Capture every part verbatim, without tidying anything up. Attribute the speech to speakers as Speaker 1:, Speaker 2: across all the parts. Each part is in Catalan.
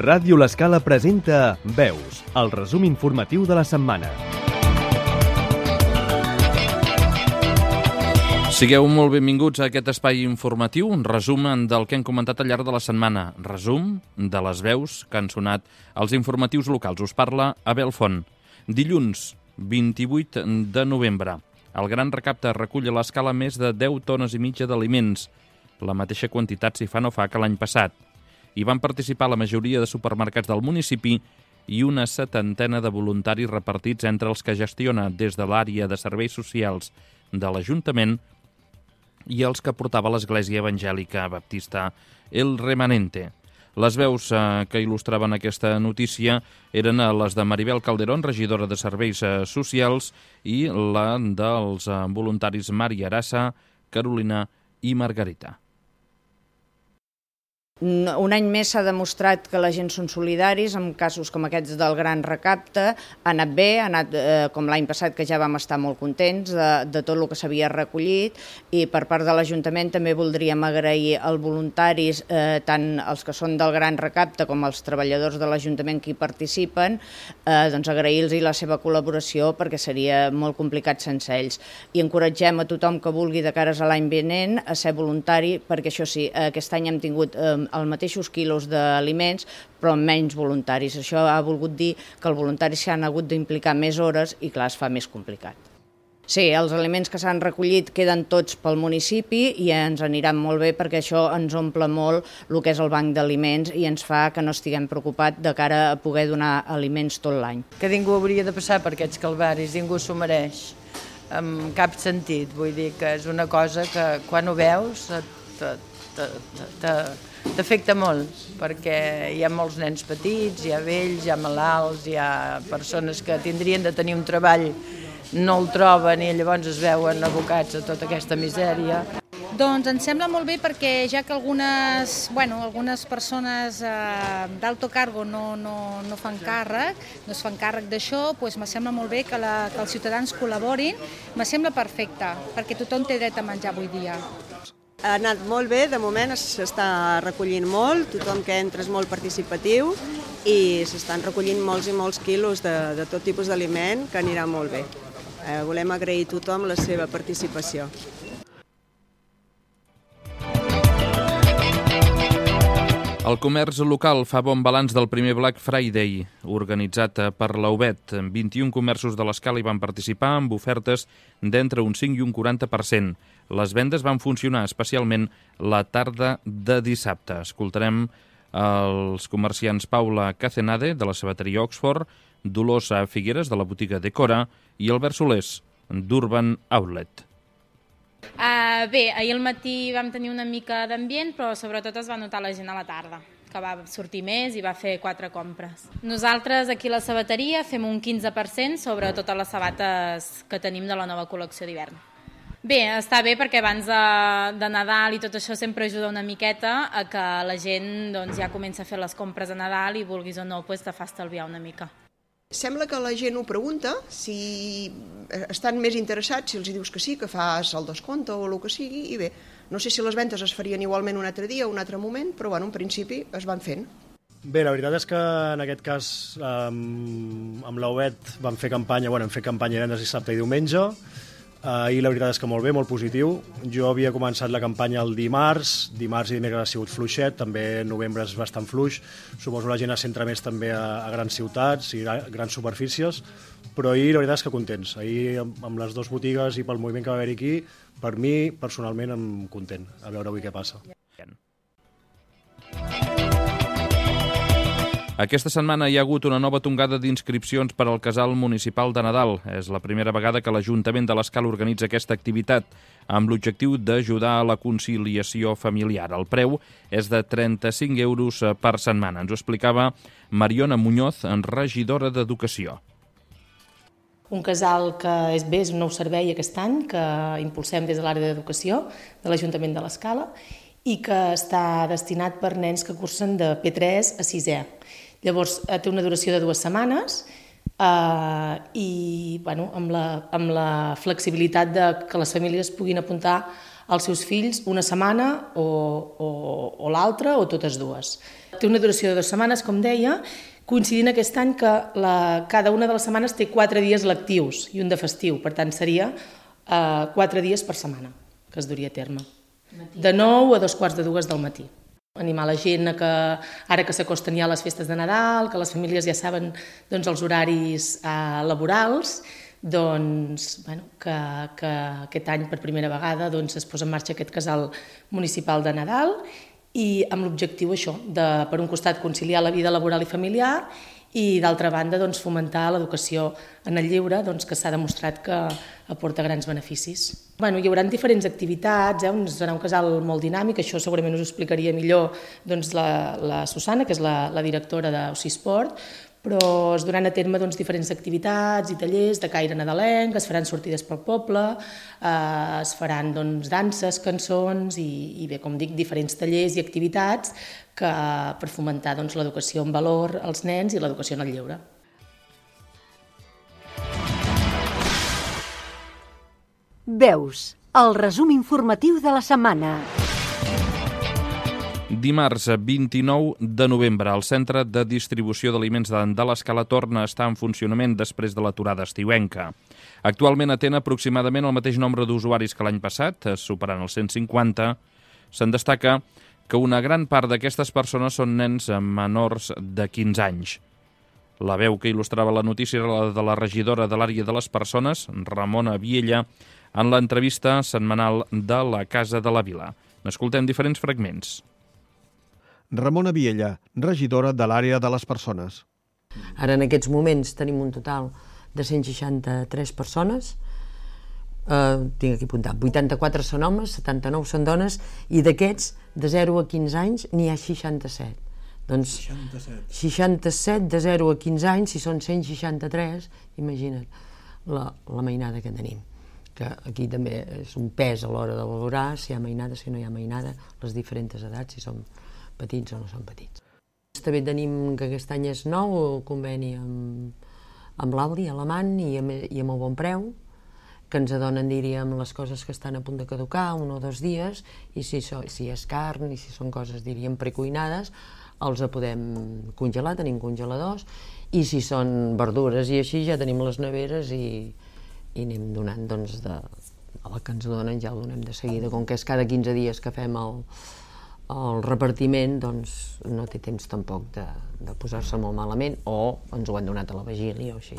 Speaker 1: Ràdio L'Escala presenta Veus, el resum informatiu de la setmana.
Speaker 2: Sigueu molt benvinguts a aquest espai informatiu, un resum del que hem comentat al llarg de la setmana. Resum de les veus que han sonat als informatius locals. Us parla Abel Font. Dilluns, vint-i-vuit de novembre. El Gran Recapte recull a l'Escala més de deu tones i mitja d'aliments. La mateixa quantitat si fa no fa que l'any passat. Hi van participar la majoria de supermercats del municipi i una setantena de voluntaris repartits entre els que gestiona des de l'àrea de serveis socials de l'Ajuntament i els que portava l'Església Evangèlica Baptista El Remanente. Les veus eh, que il·lustraven aquesta notícia eren les de Maribel Calderón, regidora de Serveis eh, Socials, i la dels eh, voluntaris Maria Arassa, Carolina i Margarita.
Speaker 3: Un any més s'ha demostrat que la gent són solidaris, en casos com aquests del Gran Recapte, ha anat bé, ha anat eh, com l'any passat, que ja vam estar molt contents de, de tot el que s'havia recollit, i per part de l'Ajuntament també voldríem agrair als voluntaris, eh, tant els que són del Gran Recapte com els treballadors de l'Ajuntament que hi participen, eh, doncs agrair-los la seva col·laboració perquè seria molt complicat sense ells. I encoratgem a tothom que vulgui de cares a l'any vinent a ser voluntari, perquè això sí, aquest any hem tingut eh, els mateixos quilos d'aliments, però amb menys voluntaris. Això ha volgut dir que els voluntaris s'han hagut d'implicar més hores i, clar, es fa més complicat. Sí, els aliments que s'han recollit queden tots pel municipi i ens aniran molt bé perquè això ens omple molt el que és el banc d'aliments i ens fa que no estiguem preocupats de cara a poder donar aliments tot l'any.
Speaker 4: Que ningú hauria de passar per aquests calvaris, ningú s'ho mereix, en cap sentit. Vull dir que és una cosa que quan ho veus t'afecta molt, perquè hi ha molts nens petits, hi ha vells, hi ha malalts, hi ha persones que tindrien de tenir un treball, no el troben i llavors es veuen abocats a tota aquesta misèria.
Speaker 5: Doncs ens sembla molt bé perquè ja que algunes, bueno, algunes persones eh, d'alto cargo no, no, no fan càrrec, no es fan càrrec d'això, doncs me sembla molt bé que, la, que els ciutadans col·laborin, me sembla perfecte, perquè tothom té dret a menjar avui dia.
Speaker 6: Ha anat molt bé, de moment s'està recollint molt, tothom que entra és molt participatiu i s'estan recollint molts i molts quilos de, de tot tipus d'aliment que anirà molt bé. Eh, volem agrair a tothom la seva participació.
Speaker 2: El comerç local fa bon balanç del primer Black Friday, organitzat per l'U B E T. vint-i-un comerços de l'Escala hi van participar amb ofertes d'entre un cinc i un quaranta per cent. Les vendes van funcionar especialment la tarda de dissabte. Escoltarem els comerciants Paula Cacenade, de la sabateria Oxford, Dolors Figueres, de la botiga Decora, i Albert Solés, d'Urban Outlet.
Speaker 7: Uh, bé, ahir al matí vam tenir una mica d'ambient, però sobretot es va notar la gent a la tarda, que va sortir més i va fer quatre compres. Nosaltres aquí a la sabateria fem un quinze per cent sobre totes les sabates que tenim de la nova col·lecció d'hivern. Bé, està bé perquè abans de, de Nadal i tot això sempre ajuda una miqueta a que la gent doncs, ja comença a fer les compres a Nadal i vulguis o no pues, te fa estalviar una mica.
Speaker 8: Sembla que la gent ho pregunta, si estan més interessats, si els dius que sí, que fas el descompte o el que sigui, i bé, no sé si les ventes es farien igualment un altre dia o un altre moment, però bueno, en principi es van fent.
Speaker 9: Bé, la veritat és que en aquest cas amb, amb l'U B E T vam fer campanya, bueno, hem fet campanya divendres, dissabte i diumenge, Uh, i la veritat és que molt bé, molt positiu. Jo havia començat la campanya el dimarts, dimarts i dimecres ha sigut fluixet, també novembre és bastant fluix, suposo la gent es centra més també a, a grans ciutats i a grans superfícies, però ahir la veritat és que contents. Ahir amb, amb les dues botigues i pel moviment que va haver aquí, per mi personalment em content, a veure avui què passa.
Speaker 2: Aquesta setmana hi ha hagut una nova tongada d'inscripcions per al Casal Municipal de Nadal. És la primera vegada que l'Ajuntament de l'Escala organitza aquesta activitat amb l'objectiu d'ajudar a la conciliació familiar. El preu és de trenta-cinc euros per setmana. Ens ho explicava Mariona Muñoz, regidora d'Educació.
Speaker 10: Un casal que és bé, és un nou servei aquest any que impulsem des de l'àrea d'Educació de l'Ajuntament de l'Escala i que està destinat per nens que cursen de P tres a sisè. Llavors, té una duració de dues setmanes eh, i bueno, amb, la, amb la flexibilitat de que les famílies puguin apuntar als seus fills una setmana o, o, o l'altra o totes dues. Té una duració de dues setmanes, com deia, coincidint aquest any que la, cada una de les setmanes té quatre dies lectius i un de festiu, per tant seria eh, quatre dies per setmana que es duria a terme. De nou a dos quarts de dues del matí. Animar la gent a que, ara que s'acosten ja les festes de Nadal, que les famílies ja saben doncs, els horaris eh, laborals, doncs, bueno, que, que aquest any per primera vegada doncs, es posa en marxa aquest casal municipal de Nadal i amb l'objectiu això, de, per un costat, conciliar la vida laboral i familiar i, d'altra banda, doncs, fomentar l'educació en el lleure, doncs, que s'ha demostrat que aporta grans beneficis. Bueno, hi haurà diferents activitats, eh? Serà un casal molt dinàmic, això segurament us ho explicaria millor doncs, la, la Susana, que és la, la directora d'Ocisport, però es duran a terme doncs, diferents activitats i tallers de caire nadalenc, es faran sortides pel poble, eh, es faran doncs, danses, cançons i, i bé, com dic, diferents tallers i activitats que, per fomentar doncs, l'educació en valor als nens i l'educació en el lleure.
Speaker 11: Veus, el resum informatiu de la setmana.
Speaker 2: Dimarts vint-i-nou de novembre, el centre de distribució d'aliments de l'Escala torna a estar en funcionament després de l'aturada estiuenca. Actualment atén aproximadament el mateix nombre d'usuaris que l'any passat, superant els cent cinquanta. Se'n destaca que una gran part d'aquestes persones són nens menors de quinze anys. La veu que il·lustrava la notícia era la de la regidora de l'àrea de les persones, Ramona Viella, en l'entrevista setmanal de la Casa de la Vila. N'escoltem diferents fragments.
Speaker 12: Ramona Viella, regidora de l'àrea de les persones.
Speaker 13: Ara en aquests moments tenim un total de cent seixanta-tres persones, eh, tinc aquí apuntat, vuitanta-quatre són homes, setanta-nou són dones, i d'aquests de zero a quinze anys n'hi ha seixanta-set. Doncs seixanta-set. seixanta-set de zero a quinze anys, si són cent seixanta-tres, imagina't la, la mainada que tenim. Que aquí també és un pes a l'hora de valorar si hi ha mainada, si no hi ha mainada, les diferents edats, si són petits o no són petits. També tenim que aquest any és nou el conveni amb, amb l'Aldi, Alemany i amb, i amb el Bon Preu, que ens adonen, diríem, les coses que estan a punt de caducar, un o dos dies, i si, so, si és carn i si són coses, diríem, precuinades, els podem congelar, tenim congeladors, i si són verdures i així ja tenim les neveres i, i anem donant, doncs, de, el que ens donen ja el donem de seguida, com que és cada quinze dies que fem el el repartiment, doncs no té temps tampoc de, de posar-se molt malament o ens ho han donat a la vigília o així.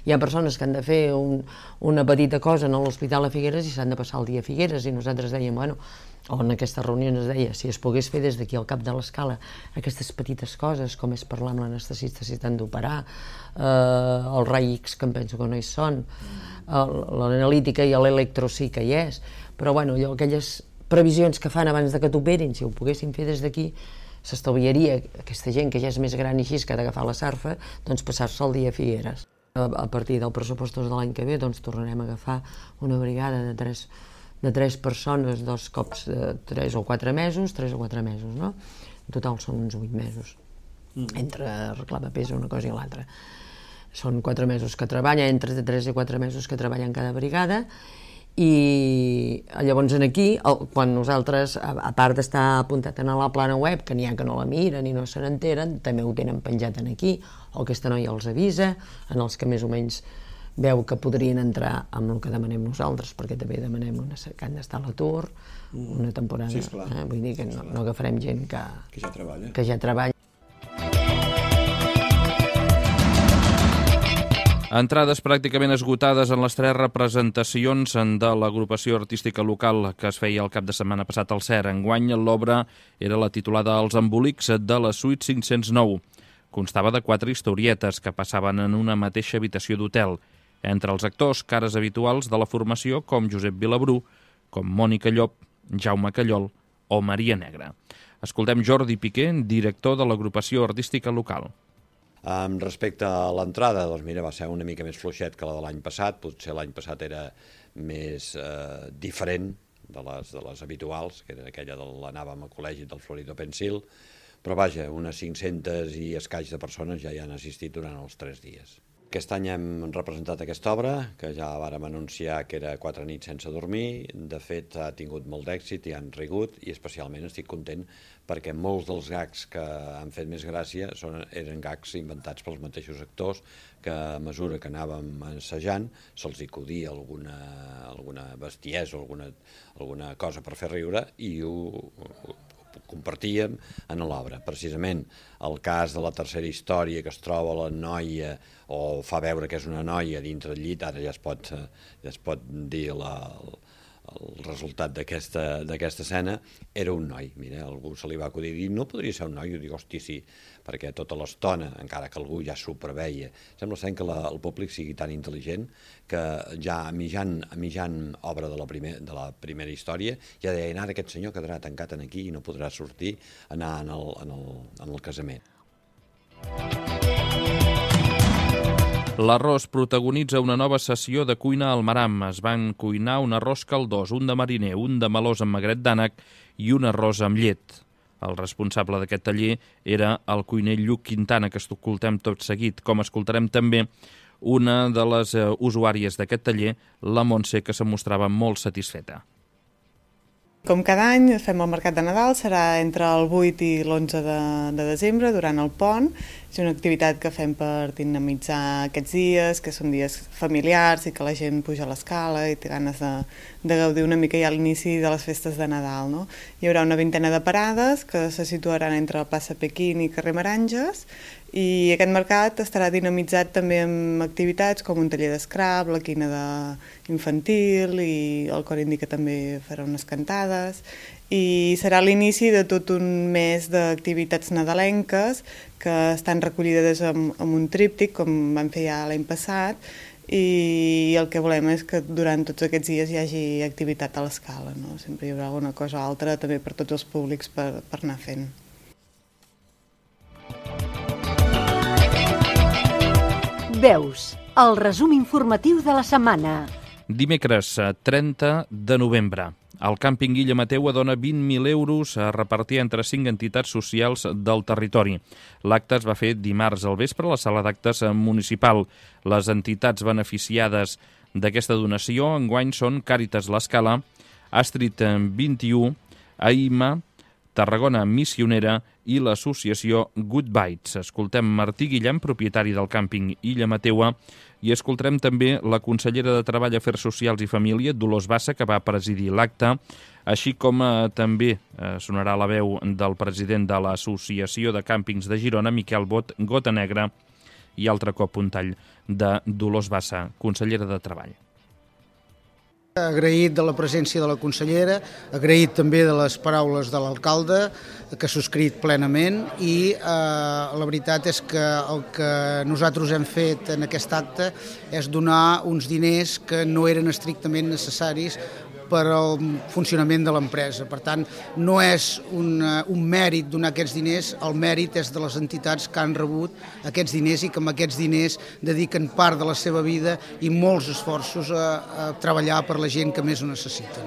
Speaker 13: Hi ha persones que han de fer un, una petita cosa en l'Hospital a Figueres i s'han de passar el dia a Figueres i nosaltres dèiem, bueno, o en aquestes reunions es deia, si es pogués fer des d'aquí al cap de l'Escala aquestes petites coses, com és parlar amb l'anestesista si t'han d'operar, eh, el rai X, que em penso que no hi són, l'analítica i l'electro sí que hi és, però bueno, allò, aquelles previsions que fan abans de que t'operin, si ho poguessin fer des d'aquí, s'estalviaria aquesta gent que ja és més gran i així, que ha d'agafar la sarfa, doncs passar-se el dia a Figueres. A partir del pressupost de l'any que ve, doncs tornarem a agafar una brigada de tres, de tres persones, dos cops de tres o quatre mesos, tres o quatre mesos, no? En total són uns vuit mesos, entre arreglar papers una cosa i l'altra. Són quatre mesos que treballa, entre tres i quatre mesos que treballa en cada brigada, i llavors aquí, quan nosaltres, a part d'estar apuntat en la plana web, que n'hi ha que no la miren i no se n'enteren, també ho tenen penjat en aquí, o aquesta noia els avisa, en els que més o menys veu que podrien entrar amb el que demanem nosaltres, perquè també demanem una, que han d'estar a l'atur una temporada, sí, eh? Vull dir que no, no agafarem gent que,
Speaker 14: que ja treballa.
Speaker 13: Que ja treballa.
Speaker 2: Entrades pràcticament esgotades en les tres representacions de l'agrupació artística local que es feia el cap de setmana passat al C E R. Enguany, l'obra era la titulada Els embolics de la suite cinc-cents nou. Constava de quatre historietes que passaven en una mateixa habitació d'hotel. Entre els actors, cares habituals de la formació com Josep Vilabrú, com Mònica Llop, Jaume Callol o Maria Negra. Escoltem Jordi Piqué, director de l'agrupació artística local.
Speaker 14: Um, respecte a l'entrada, doncs mira, va ser una mica més fluixet que la de l'any passat, potser l'any passat era més eh, diferent de les, de les habituals, que era aquella de l'anàvem al col·legi del Florido Pensil, però vaja, unes cinc-centes i escaig de persones ja hi han assistit durant els tres dies. Aquest any hem representat aquesta obra, que ja vàrem anunciar que era Quatre nits sense dormir. De fet, ha tingut molt d'èxit i han rigut, i especialment estic content perquè molts dels gags que han fet més gràcia són, eren gags inventats pels mateixos actors, que a mesura que anàvem assajant se'ls acudia alguna, alguna bestiesa o alguna, alguna cosa per fer riure, i ho, ho compartíem en l'obra. Precisament el cas de la tercera història, que es troba la noia o fa veure que és una noia dintre del llit, ara ja es pot, ja es pot dir la, el resultat d'aquesta escena, era un noi. Mira, algú se li va acudir i dir, no podria ser un noi? Jo dic, hosti, sí, perquè tota l'estona, encara que algú ja s'ho preveia, sembla ser que la, el públic sigui tan intel·ligent que ja a mitjan, a mitjan obra de la, primer, de la primera història ja deien, ara aquest senyor quedarà tancat aquí i no podrà sortir, anar en el, en el, en el casament.
Speaker 2: L'arròs protagonitza una nova sessió de cuina al Maram. Es van cuinar un arròs caldós, un de mariner, un de melós amb magret d'ànec i un arròs amb llet. El responsable d'aquest taller era el cuiner Lluc Quintana, que escoltem tot seguit, com escoltarem també una de les usuàries d'aquest taller, la Montse, que se mostrava molt satisfeta.
Speaker 15: Com cada any fem el mercat de Nadal, serà entre el vuit i l'onze de, de desembre, durant el pont. És una activitat que fem per dinamitzar aquests dies, que són dies familiars i que la gent puja a l'escala i té ganes de, de gaudir una mica ja a l'inici de les festes de Nadal, no? Hi haurà una vintena de parades que se situaran entre la plaça Pequín i carrer Meranges, i aquest mercat estarà dinamitzat també amb activitats com un taller d'escrap, la quina de infantil, i el cor indi que també farà unes cantades, i serà l'inici de tot un mes d'activitats nadalenques que estan recollides amb, amb un tríptic, com vam fer ja l'any passat, i el que volem és que durant tots aquests dies hi hagi activitat a l'escala, no? Sempre hi haurà alguna cosa altra també per tots els públics per, per anar fent.
Speaker 11: Veus, el resum informatiu de la setmana.
Speaker 2: Dimecres, trenta de novembre. El càmping Illa Mateu dona vint mil euros a repartir entre cinc entitats socials del territori. L'acte es va fer dimarts al vespre a la sala d'actes municipal. Les entitats beneficiades d'aquesta donació enguany són Càritas l'Escala, Astrid vint i u, AIMA, Tarragona Missionera i l'associació Good Bites. Escoltem Martí Guillem, propietari del càmping Illa Mateua, i escoltarem també la consellera de Treball, Afers Socials i Família, Dolors Bassa, que va presidir l'acte, així com eh, també eh, sonarà la veu del president de l'Associació de Càmpings de Girona, Miquel Bot Gota Negra, i altre cop un tall de Dolors Bassa, consellera de Treball.
Speaker 16: Agraït de la presència de la consellera, agraït també de les paraules de l'alcalde, que ha subscrit plenament, i eh, la veritat és que el que nosaltres hem fet en aquest acte és donar uns diners que no eren estrictament necessaris per al funcionament de l'empresa. Per tant, no és un, un mèrit donar aquests diners, el mèrit és de les entitats que han rebut aquests diners i que amb aquests diners dediquen part de la seva vida i molts esforços a, a treballar per la gent que més ho necessiten.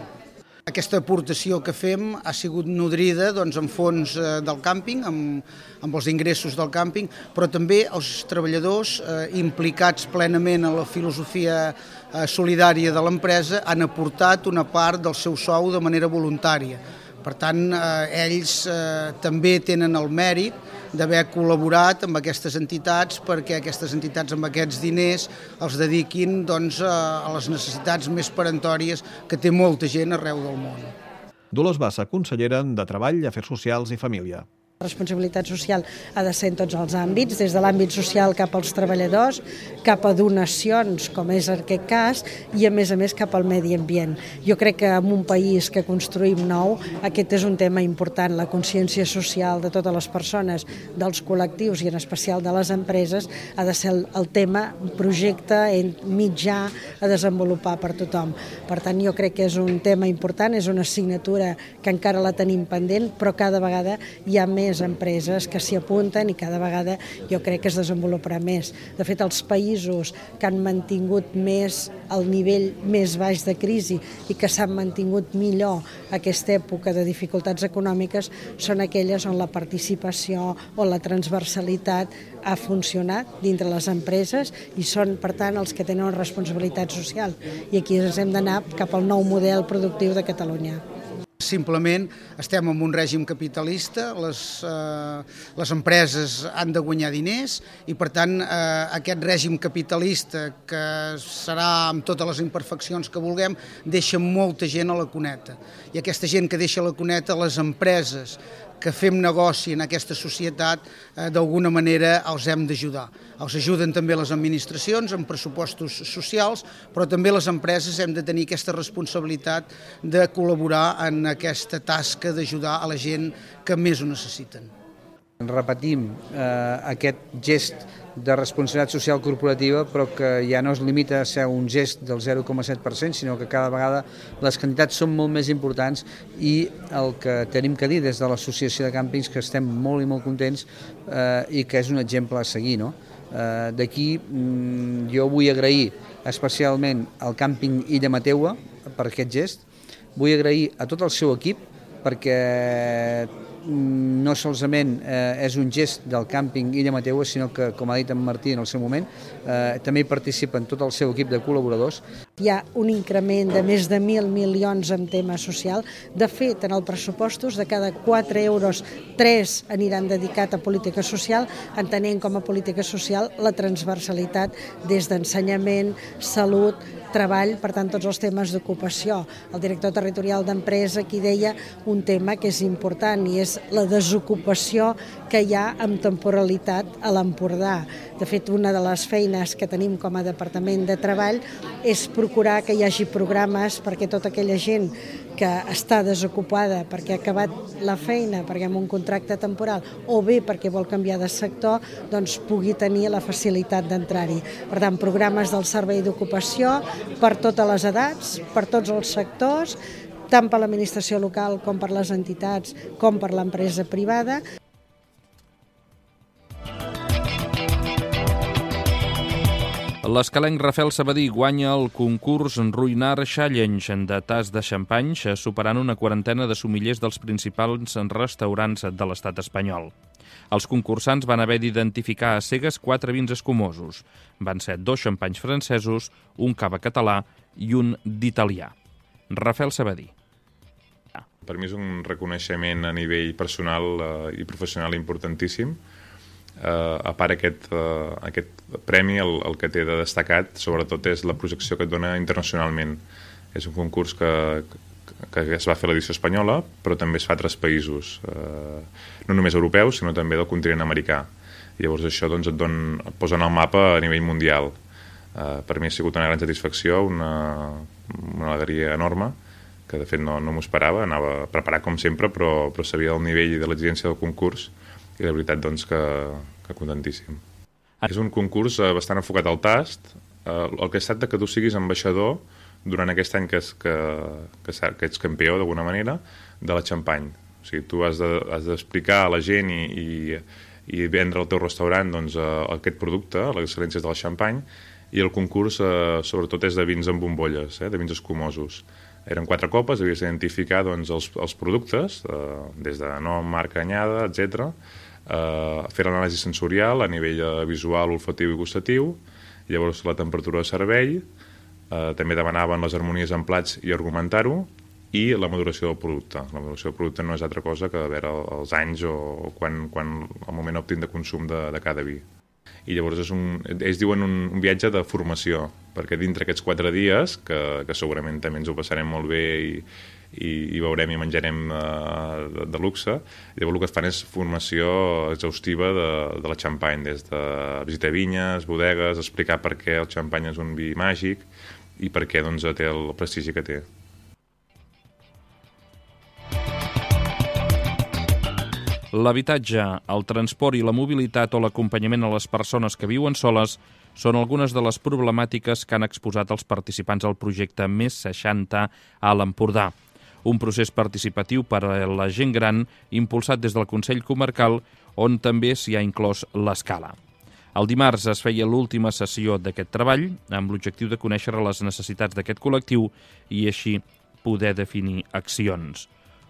Speaker 16: Aquesta aportació que fem ha sigut nodrida doncs, amb fons eh, del càmping, amb, amb els ingressos del càmping, però també els treballadors eh, implicats plenament en la filosofia eh, solidària de l'empresa han aportat una part del seu sou de manera voluntària. Per tant, eh, ells eh, també tenen el mèrit d'haver col·laborat amb aquestes entitats perquè aquestes entitats amb aquests diners els dediquin doncs, a les necessitats més peremptòries que té molta gent arreu del món.
Speaker 12: Dolors Bassa, consellera de Treball, Afers Socials i Família.
Speaker 17: La responsabilitat social ha de ser en tots els àmbits, des de l'àmbit social cap als treballadors, cap a donacions, com és aquest cas, i a més a més cap al medi ambient. Jo crec que en un país que construïm nou, aquest és un tema important, la consciència social de totes les persones, dels col·lectius i en especial de les empreses, ha de ser el, el tema, un projecte mitjà a desenvolupar per tothom. Per tant, jo crec que és un tema important, és una assignatura que encara la tenim pendent, però cada vegada hi ha més més empreses que s'hi apunten i cada vegada jo crec que es desenvoluparà més. De fet, els països que han mantingut més el nivell més baix de crisi i que s'han mantingut millor aquesta època de dificultats econòmiques són aquelles on la participació o la transversalitat ha funcionat dintre les empreses i són, per tant, els que tenen una responsabilitat social. I aquí ens hem d'anar cap al nou model productiu de Catalunya.
Speaker 16: Simplement estem en un règim capitalista, les, eh, les empreses han de guanyar diners i per tant eh, aquest règim capitalista, que serà amb totes les imperfeccions que vulguem, deixa molta gent a la cuneta. I aquesta gent que deixa a la cuneta, les empreses que fem negoci en aquesta societat, eh, d'alguna manera els hem d'ajudar. Els ajuden també les administracions amb pressupostos socials, però també les empreses hem de tenir aquesta responsabilitat de col·laborar en aquesta tasca d'ajudar a la gent que més ho necessiten.
Speaker 18: Repetim eh, aquest gest de responsabilitat social corporativa, però que ja no es limita a ser un gest del zero coma set per cent, sinó que cada vegada les quantitats són molt més importants i el que tenim que dir des de l'Associació de Càmpings, que estem molt i molt contents eh, i que és un exemple a seguir, no? Eh, D'aquí mm, jo vull agrair especialment al càmping Illa Mateua per aquest gest, vull agrair a tot el seu equip perquè no solament eh, és un gest del càmping Illa Mateua, sinó que, com ha dit en Martí en el seu moment, eh, també hi participen tot el seu equip de col·laboradors.
Speaker 17: Hi ha un increment de més de mil milions en tema social. De fet, en els pressupostos de cada quatre euros, tres aniran dedicat a política social, entenent com a política social la transversalitat des d'ensenyament, salut, treball, per tant, tots els temes d'ocupació. El director territorial d'empresa aquí deia un tema que és important i és la desocupació que hi ha amb temporalitat a l'Empordà. De fet, una de les feines que tenim com a Departament de Treball és procurar que hi hagi programes perquè tota aquella gent que està desocupada perquè ha acabat la feina, perquè amb un contracte temporal o bé perquè vol canviar de sector, doncs pugui tenir la facilitat d'entrar-hi. Per tant, programes del Servei d'Ocupació per totes les edats, per tots els sectors, tant per l'administració local com per les entitats com per l'empresa privada.
Speaker 2: L'escalenc Rafael Sabadí guanya el concurs Ruïnar Challenge de tas de xampanys, superant una quarantena de sumillers dels principals restaurants de l'estat espanyol. Els concursants van haver d'identificar a cegues quatre vins escumosos. Van ser dos xampanys francesos, un cava català i un d'italià. Rafael Sabadí.
Speaker 19: Per mi és un reconeixement a nivell personal eh, i professional importantíssim. Uh, a part aquest, uh, aquest premi, el, el que té de destacat sobretot és la projecció que et dona internacionalment. És un concurs que, que es va fer a l'edició espanyola, però també es fa a altres països, uh, no només europeus, sinó també del continent americà. I llavors això doncs, et, don, et posa en el mapa a nivell mundial. Uh, per mi ha sigut una gran satisfacció, una, una alegria enorme, que de fet no, no m'ho esperava, anava preparat com sempre, però, però sabia el nivell de l'exigència del concurs, i la veritat, doncs, que, que contentíssim. És un concurs eh, bastant enfocat al tast. Eh, el que es tracta que tu siguis ambaixador durant aquest any que, és, que, que, que ets campió, d'alguna manera, de la xampany. O sigui, tu has de, has d'explicar a la gent i, i, i vendre al teu restaurant doncs, eh, aquest producte, les excel·lències del xampany, i el concurs, eh, sobretot, és de vins amb bombolles, eh, de vins escumosos. Eren quatre copes, havies d'identificar doncs, els, els productes, eh, des de nom, marca, anyada, etcètera, Uh, fer l'anàlisi sensorial a nivell uh, visual, olfatiu i gustatiu, llavors la temperatura de servei, uh, també demanaven les harmonies en plats i argumentar-ho, i la maduració del producte. La maduració del producte no és altra cosa que veure els anys o, o quan, quan el moment òptim de consum de, de cada vi. I llavors és un, ells diuen un, un viatge de formació, perquè dintre aquests quatre dies, que, que segurament també ens ho passarem molt bé i i, i veurem i menjarem uh, de, de luxe. Llavors el que fan és formació exhaustiva de, de la xampany, des de visitar vinyes, bodegues, explicar per què el xampany és un vi màgic i per què doncs, té el prestigi que té.
Speaker 2: L'habitatge, el transport i la mobilitat o l'acompanyament a les persones que viuen soles són algunes de les problemàtiques que han exposat els participants al projecte Més seixanta a l'Empordà. un procés participatiu per a la gent gran impulsat des del Consell Comarcal, on també s'hi ha inclòs l'escala. El dimarts es feia l'última sessió d'aquest treball amb l'objectiu de conèixer les necessitats d'aquest col·lectiu i així poder definir accions.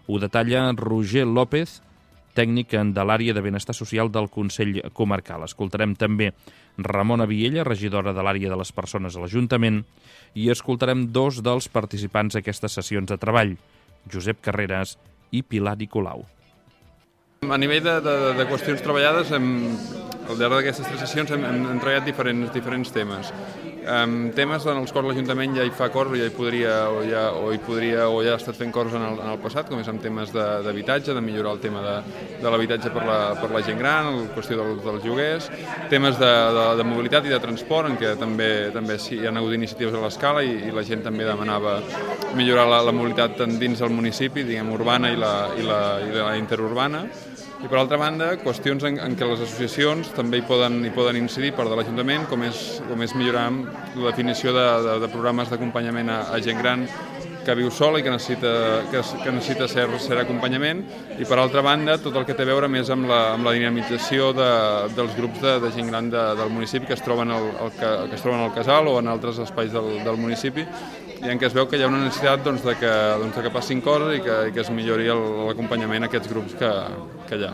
Speaker 2: Ho detalla Roger López, tècnic de l'àrea de benestar social del Consell Comarcal. Escoltarem també Ramona Viella, regidora de l'àrea de les persones a l'Ajuntament, i escoltarem dos dels participants d'aquestes sessions de treball, Josep Carreras i Pilar Nicolau.
Speaker 20: A nivell de, de, de qüestions treballades, hem, al llarg d'aquestes tres sessions hem, hem, hem treballat diferents, diferents temes. Um, temes en els quals l'Ajuntament ja hi fa coses o ja hi podria o ja, o hi podria o ja ha estat fent coses en el, en el passat, com és en temes d'habitatge, de, de millorar el tema de, de l'habitatge per, la, per la gent gran, la qüestió del, dels lloguers, temes de, de, de mobilitat i de transport, en què també, també sí, hi ha hagut iniciatives a l'escala i, i la gent també demanava millorar la, la mobilitat tant dins del municipi, diguem, urbana i la, i la, i la interurbana. I per altra banda, qüestions en, en què les associacions també hi poden, hi poden incidir per de l'Ajuntament, com és, com és millorar la definició de, de, de programes d'acompanyament a, a gent gran que viu sola i que necessita, que, que necessita ser, ser acompanyament, i per altra banda tot el que té a veure més amb la, amb la dinamització de, dels grups de, de gent gran de, del municipi que es troben al, al, que, que es troben al casal o en altres espais del, del municipi, i en què es veu que hi ha una necessitat doncs, de, que, doncs, de que passin coses i que, i que es millori l'acompanyament a aquests grups que, que hi ha.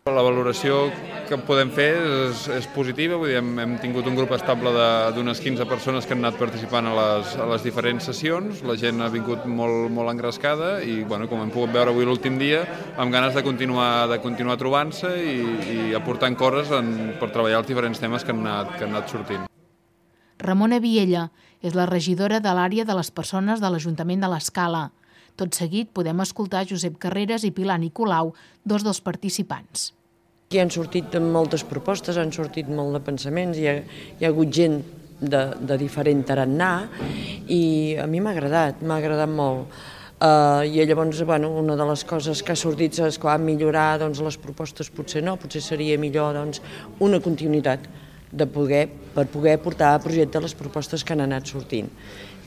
Speaker 20: La valoració que podem fer és, és positiva, vull dir, hem, hem tingut un grup estable d'unes quinze persones que han anat participant a les, a les diferents sessions, la gent ha vingut molt, molt engrescada i, bueno, com hem pogut veure avui l'últim dia, amb ganes de continuar, de continuar trobant-se i, i aportant coses en, per treballar els diferents temes que han anat, que han anat sortint.
Speaker 21: Ramona Viella és la regidora de l'àrea de les persones de l'Ajuntament de l'Escala. Tot seguit podem escoltar Josep Carreras i Pilar Nicolau, dos dels participants.
Speaker 13: Aquí han sortit moltes propostes, han sortit molt de pensaments, hi ha, hi ha hagut gent de, de diferent tarannà i a mi m'ha agradat, m'ha agradat molt. Uh, I llavors, bueno, una de les coses que ha sortit és que millorar doncs, les propostes potser no, potser seria millor doncs, una continuïtat de poder, per poder portar a projecte les propostes que han anat sortint.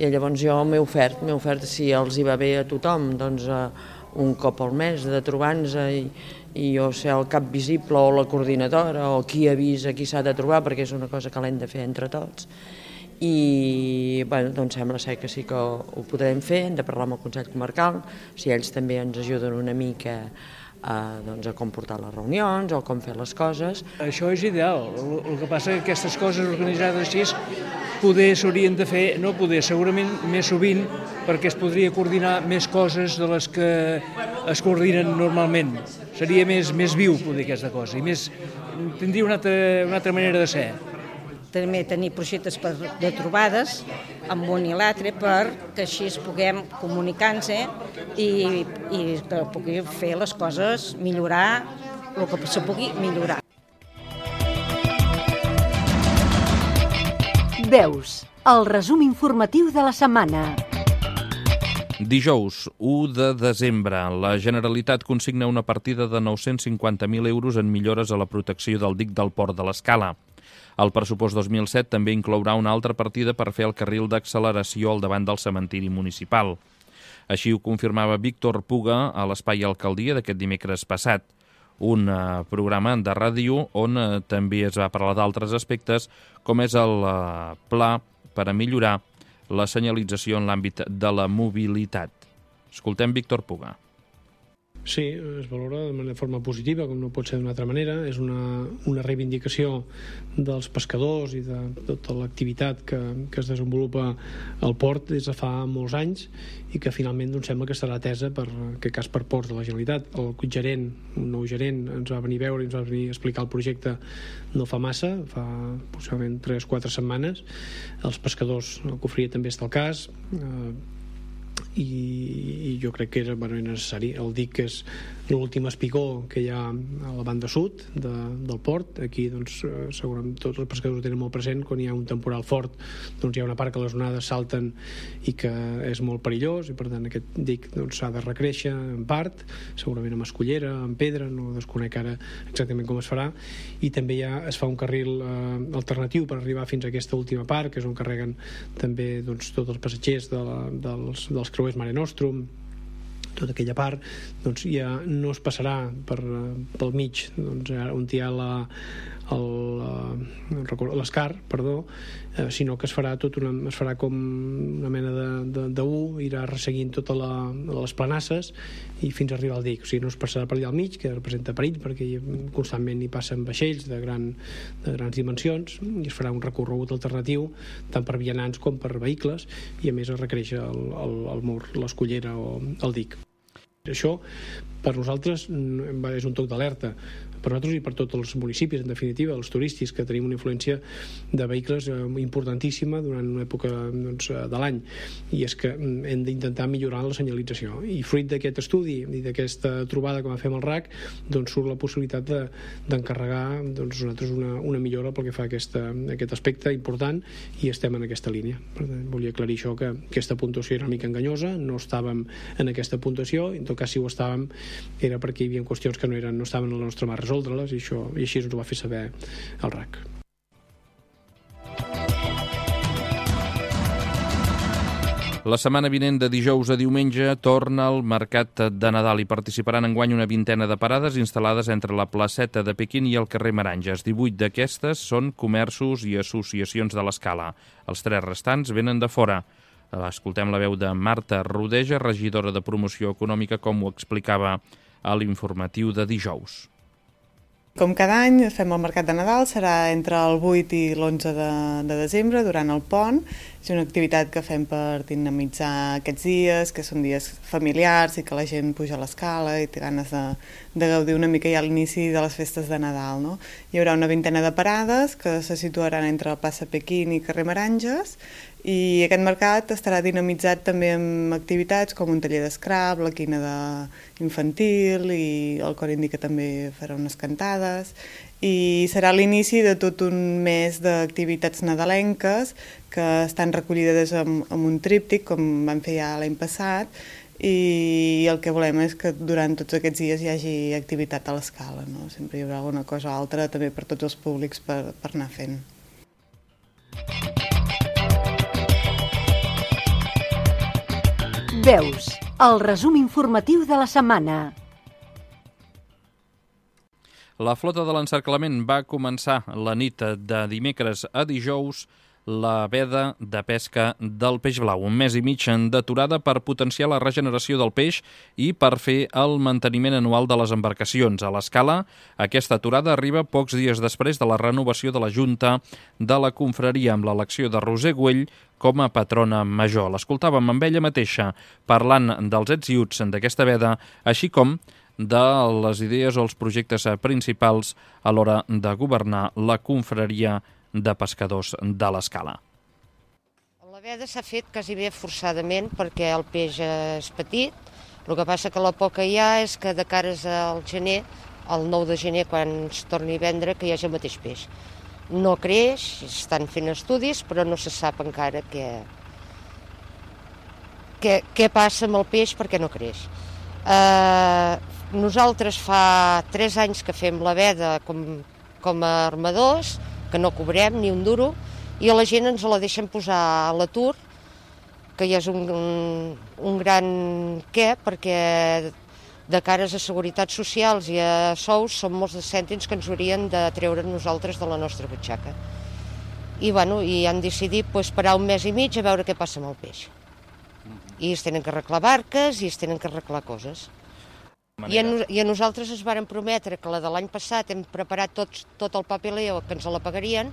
Speaker 13: I llavors jo m'he ofert, m'he ofert si els hi va bé a tothom, doncs uh, un cop al mes de trobar-nos i, i jo ser el cap visible o la coordinadora o qui avisa qui s'ha de trobar, perquè és una cosa que l'hem de fer entre tots. I bueno, doncs sembla ser que sí que ho podrem fer, hem de parlar amb el Consell Comarcal, si ells també ens ajuden una mica a, doncs, a com portar les reunions o com fer les coses.
Speaker 22: Això és ideal, el, el que passa és que aquestes coses organitzades així poder s'haurien de fer, no poder, segurament més sovint, perquè es podria coordinar més coses de les que es coordinen normalment. Seria més, més viu poder aquesta cosa i més, tindria una altra, una altra manera de ser.
Speaker 23: També tenir projectes per, de trobades amb un i l'altre perquè així es puguem comunicar-nos i, i per poder fer les coses, millorar el que se pugui millorar.
Speaker 11: Veus, el resum informatiu de la setmana.
Speaker 2: Dijous, u de desembre, la Generalitat consigna una partida de nou-cents cinquanta mil euros en millores a la protecció del dic del Port de l'Escala. El pressupost dos mil set també inclourà una altra partida per fer el carril d'acceleració al davant del cementiri municipal. Així ho confirmava Víctor Puga a l'Espai Alcaldia d'aquest dimecres passat, un uh, programa de ràdio on uh, també es va parlar d'altres aspectes, com és el uh, pla per a millorar la senyalització en l'àmbit de la mobilitat. Escoltem Víctor Puga.
Speaker 24: Sí, es valora de forma positiva, com no pot ser d'una altra manera. És una, una reivindicació dels pescadors i de tota l'activitat que, que es desenvolupa al port des de fa molts anys i que finalment doncs, sembla que serà atesa per aquest cas per ports de la Generalitat. El gerent, un nou gerent, ens va venir a veure i ens va venir a explicar el projecte no fa massa, fa possiblement tres o quatre setmanes. Els pescadors, el Cofria també està al cas, eh, i, i jo crec que era bueno, necessari. El dic és l'últim espigó que hi ha a la banda sud de, del port. Aquí doncs, segurament tots els pescadors ho tenen molt present. Quan hi ha un temporal fort doncs, hi ha una part que les onades salten i que és molt perillós i per tant aquest dic s'ha doncs, de recréixer en part, segurament amb escollera, amb pedra, no desconec ara exactament com es farà, i també ja es fa un carril eh, alternatiu per arribar fins a aquesta última part, que és on carreguen també doncs, tots els passatgers de la, dels, dels creuers Mare Nostrum tota aquella part, doncs ja no es passarà per, pel mig, doncs, on hi ha la, l'escar, perdó, eh, sinó que es farà tot una, es farà com una mena de, de, de U, irà resseguint totes la, les planasses i fins a arribar al dic. O sigui, no es passarà per allà al mig, que representa perill, perquè hi, constantment hi passen vaixells de, gran, de grans dimensions, i es farà un recorregut alternatiu tant per vianants com per vehicles, i a més es requereix el, el, el mur, l'escullera o el dic. Això, per nosaltres, és un toc d'alerta, per nosaltres i per tots els municipis, en definitiva, els turístics, que tenim una influència de vehicles importantíssima durant una època, doncs, de l'any, i és que hem d'intentar millorar la senyalització. I fruit d'aquest estudi i d'aquesta trobada que vam fer amb el R A C, doncs surt la possibilitat de, d'encarregar doncs, nosaltres una, una millora pel que fa a aquesta, aquest aspecte important, i estem en aquesta línia. Per tant, volia aclarir això, que aquesta puntuació era una mica enganyosa, no estàvem en aquesta puntuació, en tot cas si ho estàvem era perquè hi havia qüestions que no, eren, no estaven a la nostra mà resoldre-les, i, això, i així ens ho va fer saber el R A C.
Speaker 2: La setmana vinent, de dijous a diumenge, torna al Mercat de Nadal i participaran enguany una vintena de parades instal·lades entre la placeta de Pequín i el carrer Meranges. divuit d'aquestes són comerços i associacions de l'Escala. Els tres restants venen de fora. Escoltem la veu de Marta Rodeja, regidora de Promoció Econòmica, com ho explicava a l'informatiu de dijous.
Speaker 15: Com cada any fem el Mercat de Nadal, serà entre el vuit i l'onze de, de desembre, durant el pont. És una activitat que fem per dinamitzar aquests dies, que són dies familiars i que la gent puja a l'escala i té ganes de, de gaudir una mica ja a l'inici de les festes de Nadal. No? Hi haurà una vintena de parades que se situaran entre la plaça Pequín i carrer Meranges, i aquest mercat estarà dinamitzat també amb activitats com un taller d'escrap, la quina de infantil, i el cor indi que també farà unes cantades, i serà l'inici de tot un mes d'activitats nadalenques que estan recollides amb, amb un tríptic, com vam fer ja l'any passat, i el que volem és que durant tots aquests dies hi hagi activitat a l'escala, no? Sempre hi haurà alguna cosa o altra també per tots els públics per, per anar fent.
Speaker 11: Veus, el resum informatiu de la setmana.
Speaker 2: La flota de l'encerclament va començar la nit de dimecres a dijous la veda de pesca del peix blau. Un mes i mig d'aturada per potenciar la regeneració del peix i per fer el manteniment anual de les embarcacions. A l'Escala, aquesta aturada arriba pocs dies després de la renovació de la Junta de la Confraria, amb l'elecció de Roser Güell com a patrona major. L'escoltàvem amb ella mateixa parlant dels ets i uts d'aquesta veda, així com de les idees o els projectes principals a l'hora de governar la confraria de pescadors de l'Escala.
Speaker 1: La veda s'ha fet quasi bé forçadament perquè el peix és petit. El que passa que la por que hi ha és que de cares al gener, el nou de gener, quan es torni a vendre, que hi hagi el mateix peix. No creix, estan fent estudis, però no se sap encara què, què, què passa amb el peix perquè no creix. Eh, nosaltres fa tres anys que fem la veda com, com a armadors, que no cobrem ni un duro, i a la gent ens la deixen posar a l'atur, que ja és un, un, un gran què, perquè de cares a seguretats socials i a sous són molts de cèntims que ens haurien de treure nosaltres de la nostra butxaca. I, bueno, i han decidit pues, parar un mes i mig a veure què passa amb el peix. I es tenen que arreglar barques i es tenen que arreglar coses. I a, I a nosaltres ens varen prometre que la de l'any passat hem preparat tot, tot el papeleo, que ens la pagarien,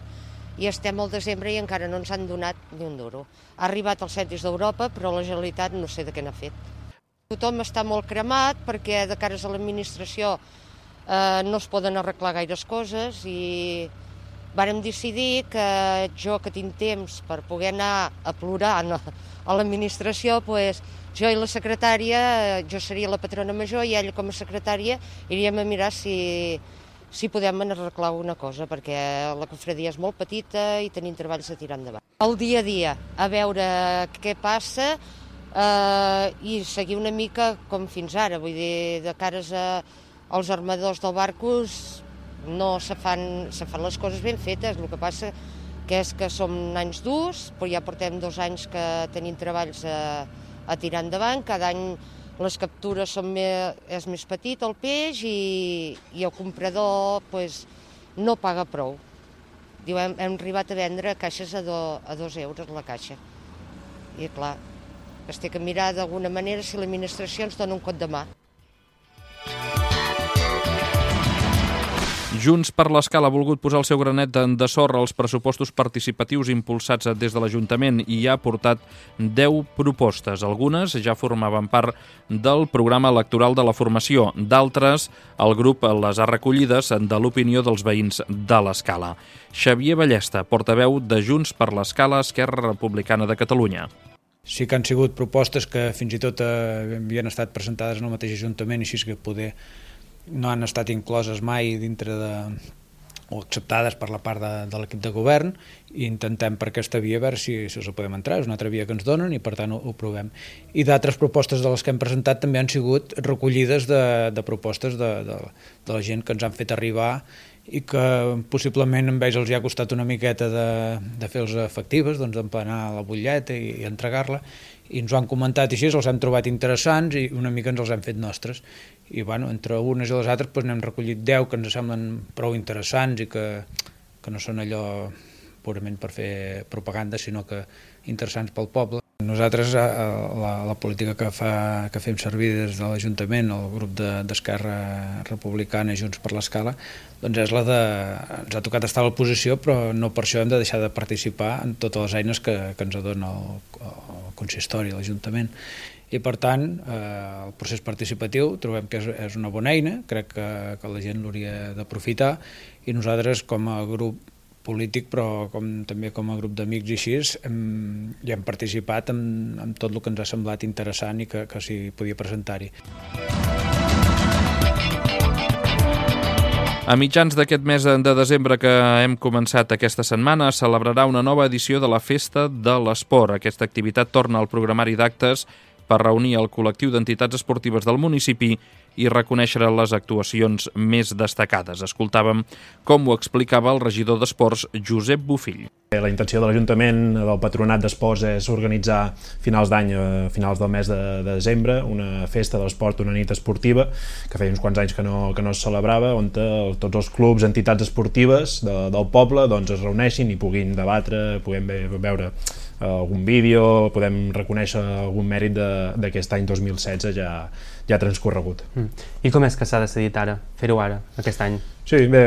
Speaker 1: i estem al desembre i encara no ens han donat ni un duro. Ha arribat els cèntims d'Europa, però la Generalitat no sé de què n'ha fet. Tothom està molt cremat perquè de cares a l'administració eh, no es poden arreglar gaires coses, i vàrem decidir que jo, que tinc temps per poder anar a plorar a l'administració, pues, jo i la secretària, jo seria la patrona major i ella com a secretària iríem a mirar si, si podem arreglar una cosa, perquè la confraria és molt petita i tenim treballs a tirar endavant. El dia a dia, a veure què passa eh, i seguir una mica com fins ara, vull dir, de cares a, als armadors del barcos no se fan, se fan les coses ben fetes, el que passa que és que som anys durs, però ja portem dos anys que tenim treballs a, a tirar endavant, cada any les captures són més, és més petit el peix i, i el comprador pues, no paga prou. Diu, hem, hem arribat a vendre caixes a, do, a dos euros la caixa. I clar, es té que mirar d'alguna manera si l'administració ens dona un cop de mà.
Speaker 2: Junts per l'Escala ha volgut posar el seu granet de sorra als pressupostos participatius impulsats des de l'Ajuntament i ha portat deu propostes. Algunes ja formaven part del programa electoral de la formació. D'altres, el grup les ha recollides de l'opinió dels veïns de l'Escala. Xavier Ballesta, portaveu de Junts per l'Escala, Esquerra Republicana de Catalunya.
Speaker 3: Sí que han sigut propostes que fins i tot havien estat presentades en el mateix Ajuntament, així que poder no han estat incloses mai dintre de, o acceptades per la part de, de l'equip de govern, i intentem per aquesta via a veure si, si els podem entrar. És una altra via que ens donen i per tant ho, ho provem. I d'altres propostes de les que hem presentat també han sigut recollides de, de propostes de, de, de la gent que ens han fet arribar i que possiblement a ells els hi ha costat una miqueta de, de fer-los efectives, doncs d'emplenar la butlleta i, i entregar-la, i ens ho han comentat i així, els hem trobat interessants i una mica ens els hem fet nostres. I bueno, entre unes i les altres doncs, n'hem recollit deu que ens semblen prou interessants i que, que no són allò purament per fer propaganda, sinó que interessants pel poble. Nosaltres, la, la política que, fa, que fem servir des de l'Ajuntament, el grup d'Esquerra Republicana i Junts per l'Escala, doncs és la de... ens ha tocat estar a l'oposició, però no per això hem de deixar de participar en totes les eines que, que ens dona el, el consistori, l'Ajuntament. I per tant, eh, el procés participatiu trobem que és, és una bona eina, crec que, que la gent l'hauria d'aprofitar, i nosaltres com a grup polític, però com, també com a grup d'amics i així, hem, hi hem participat en, en tot el que ens ha semblat interessant i que, que s'hi podia presentar-hi.
Speaker 2: A mitjans d'aquest mes de desembre que hem començat aquesta setmana, es celebrarà una nova edició de la Festa de l'Esport. Aquesta activitat torna al programari d'actes per reunir el col·lectiu d'entitats esportives del municipi i reconèixer les actuacions més destacades. Escoltàvem com ho explicava el regidor d'Esports, Josep Bofill.
Speaker 4: La intenció de l'Ajuntament, del Patronat d'Esports, és organitzar finals d'any, a finals del mes de, de desembre, una festa de l'esport, una nit esportiva, que feia uns quants anys que no, que no es celebrava, on tots els clubs, entitats esportives de, del poble doncs, es reuneixin i puguin debatre, puguem veure algun vídeo, podem reconèixer algun mèrit d'aquest any dos mil setze ja, ja transcorregut.
Speaker 5: Mm. I com és que s'ha decidit ara, fer-ho ara, aquest any?
Speaker 4: Sí, bé,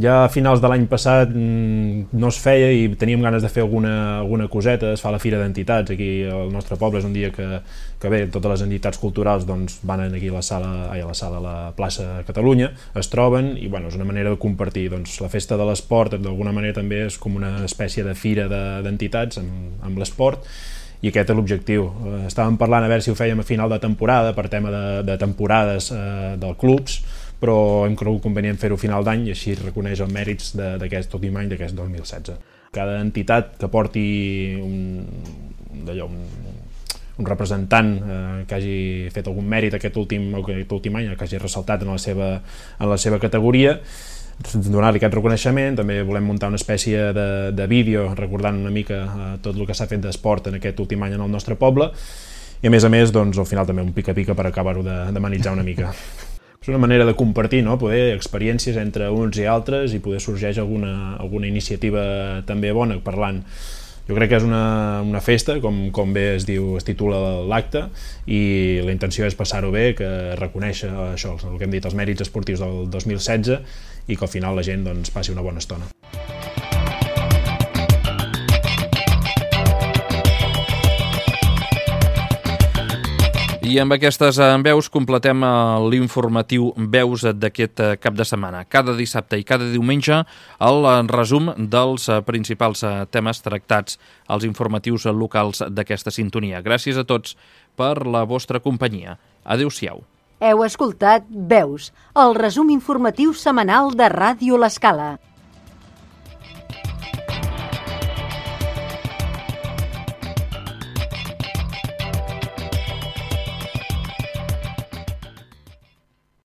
Speaker 4: ja a finals de l'any passat no es feia i teníem ganes de fer alguna, alguna coseta. Es fa la Fira d'Entitats aquí al nostre poble, és un dia que, que bé, totes les entitats culturals doncs, van aquí a la sala, a la sala a la plaça Catalunya, es troben i bueno, és una manera de compartir. Doncs, la Festa de l'Esport d'alguna manera també és com una espècie de fira d'entitats de, amb, amb l'esport, i aquest és l'objectiu. Estàvem parlant a veure si ho fèiem a final de temporada per tema de, de temporades eh, dels clubs, però hem cregut convenient fer-ho a final d'any i així reconeix els mèrits d'aquest últim any, d'aquest dos mil setze. Cada entitat que porti un, d'allò, un, un representant eh, que hagi fet algun mèrit aquest últim, aquest últim any, que hagi ressaltat en la seva, en la seva categoria, donar-li aquest reconeixement. També volem muntar una espècie de, de vídeo recordant una mica eh, tot el que s'ha fet d'esport en aquest últim any en el nostre poble i a més a més doncs, al final també un pica-pica per acabar-ho de, de manitzar una mica. És una manera de compartir, no? Poder experiències entre uns i altres i poder sorgeix alguna, alguna iniciativa també bona parlant. Jo crec que és una, una festa, com, com bé es diu, es titula l'acte, i la intenció és passar-ho bé, que reconèixer això, el que hem dit, els mèrits esportius del dos mil setze i que al final la gent doncs, passi una bona estona.
Speaker 2: I amb aquestes veus completem l'informatiu Veus d'aquest cap de setmana. Cada dissabte i cada diumenge el resum dels principals temes tractats als informatius locals d'aquesta sintonia. Gràcies a tots per la vostra companyia. Adéu-siau.
Speaker 11: Heu escoltat Veus, el resum informatiu setmanal de Ràdio L'Escala.